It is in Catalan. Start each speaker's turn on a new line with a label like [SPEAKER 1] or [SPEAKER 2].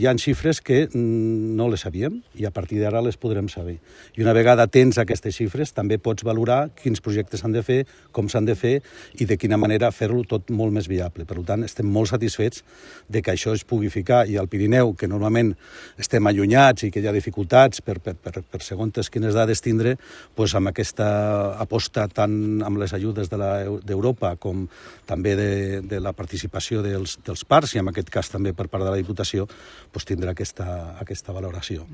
[SPEAKER 1] Hi ha xifres que no les sabíem i a partir d'ara les podrem saber. I una vegada tens aquestes xifres també pots valorar quins projectes s'han de fer, com s'han de fer i de quina manera fer-lo tot molt més viable. Per tant, estem molt satisfets de que això es pugui ficar i al Pirineu, que normalment estem allunyats i que hi ha dificultats per segons quines dades tindre, doncs amb aquesta aposta tant amb les ajudes d'Europa com també de la participació dels parcs i en aquest cas també per part de la Diputació, doncs tindrà aquesta valoració.